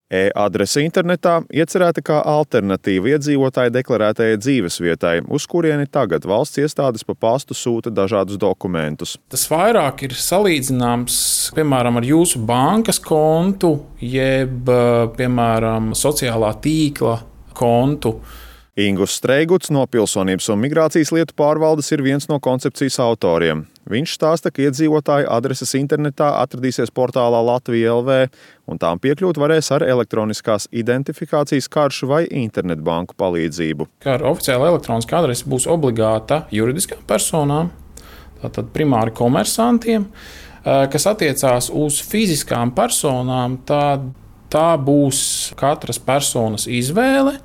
E-adrese internetā iecerēta kā alternatīva iedzīvotāju deklarētajai dzīvesvietai, uz kurieni tagad valsts iestādes pa pastu sūta dažādus dokumentus. Tas vairāk ir salīdzināms, piemēram, ar jūsu bankas kontu, jeb, piemēram, sociālā tīkla kontu. Ingus Streiguts no Pilsonības un migrācijas lietu pārvaldes ir viens no koncepcijas autoriem. Viņš stāsta, ka iedzīvotāju adreses internetā atradīsies portālā Latvija LV, un tām piekļūt varēs ar elektroniskās identifikācijas karšu vai internetbanku palīdzību. Kā ar oficiālu elektronisku adresi būs obligāta juridiskām personām, tātad primāri komersantiem, kas attiecās uz fiziskām personām, tā būs katras personas izvēle.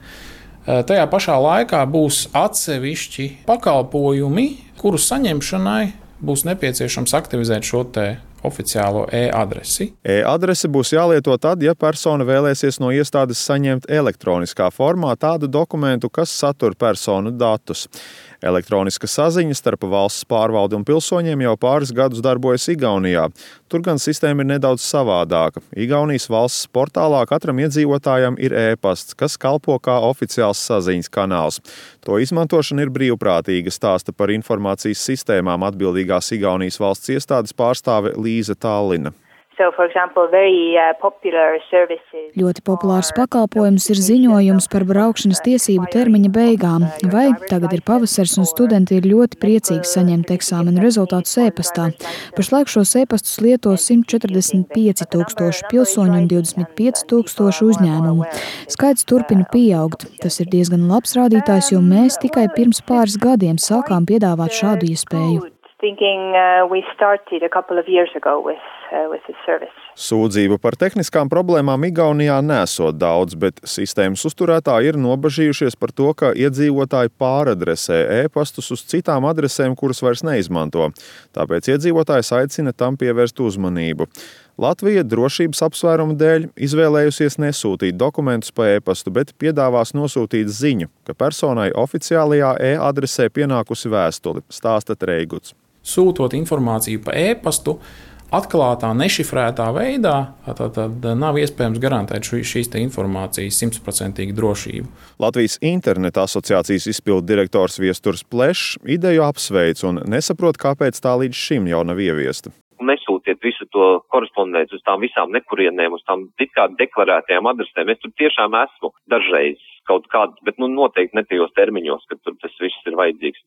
Tajā pašā laikā būs atsevišķi pakalpojumi, kuru saņemšanai būs nepieciešams aktivizēt šo oficiālo e-adresi. E-adrese būs jālieto tad, ja persona vēlēsies no iestādes saņemt elektroniskā formā tādu dokumentu, kas satur personu datus. Elektroniska saziņa starp valsts pārvaldi un pilsoņiem jau pāris gadus darbojas Igaunijā. Tur gan sistēma ir nedaudz savādāka. Igaunijas valsts portālā katram iedzīvotājam ir e-pasts, kas kalpo kā oficiāls saziņas kanāls. To izmantošana ir brīvprātīga, stāsta par informācijas sistēmām atbildīgās Igaunijas valsts iestādes pārstāve Līza Tallina. Ļoti populārs pakalpojums ir ziņojums par braukšanas tiesību termiņa beigām, vai tagad ir pavasars un studenti ir ļoti priecīgi saņemt eksāmenu rezultātus e-pastā. Pašlaik šos e-pastus lieto 145 000 pilsoņu un 25 000 uzņēmumu. Skaits turpina pieaugt. Tas ir diezgan labs rādītājs, jo mēs tikai pirms pāris gadiem sākām piedāvāt šādu iespēju. Sūdzību par tehniskām problēmām Igaunijā nesot daudz, bet sistēmas uzturētāji ir nobažījušies par to, ka iedzīvotāji pāradresē e-pastus uz citām adresēm, kuras vairs neizmanto. Tāpēc iedzīvotājs aicina tam pievērst uzmanību. Latvija drošības apsvērumu dēļ izvēlējusies nesūtīt dokumentus pa e-pastu, bet piedāvās nosūtīt ziņu, ka personai oficiālajā e-adresē pienākusi vēstuli, stāsta Streiguts. Sūtot informāciju pa e-pastu, atklātā, nešifrētā veidā, tad nav iespējams garantēt šīs informācijas 100% drošību. Latvijas interneta asociācijas izpildu direktors Viesturs Plešs ideju apsveic un nesaprot, kāpēc tā līdz šim jau nav ieviesta. Nesūtiet visu to korespondenci uz tām visām nekurienēm, uz tām it kā deklarētajām adresēm. Es tur tiešām esmu dažreiz kaut kāds, bet noteikti ne tajos termiņos, kad tur tas viss ir vajadzīgs.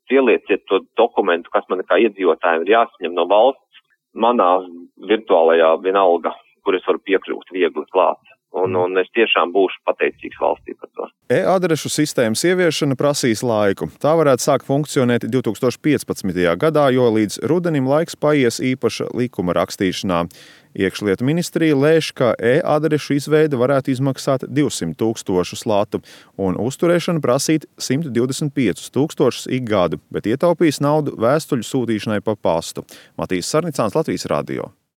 Ielieciet to dokumentu, kas man kā iedzīvotājiem ir jāsaņem no valsts, manā virtuālajā vienalga, kur es varu piekļūt viegli klāt. Un es tiešām būšu pateicīgs valstī par to. E-adrešu sistēmas ieviešana prasīs laiku. Tā varētu sākt funkcionēt 2015. gadā, jo līdz rudenim laiks paies īpaša likuma rakstīšanā. Iekšlietu ministrija lēš, ka e-adrešu izveide varētu izmaksāt 200 000 latu un uzturēšana prasīt 125 000 ik gadu, bet ietaupīs naudu vēstuļu sūtīšanai pa pastu. Matīs Sarnicāns, Latvijas radio.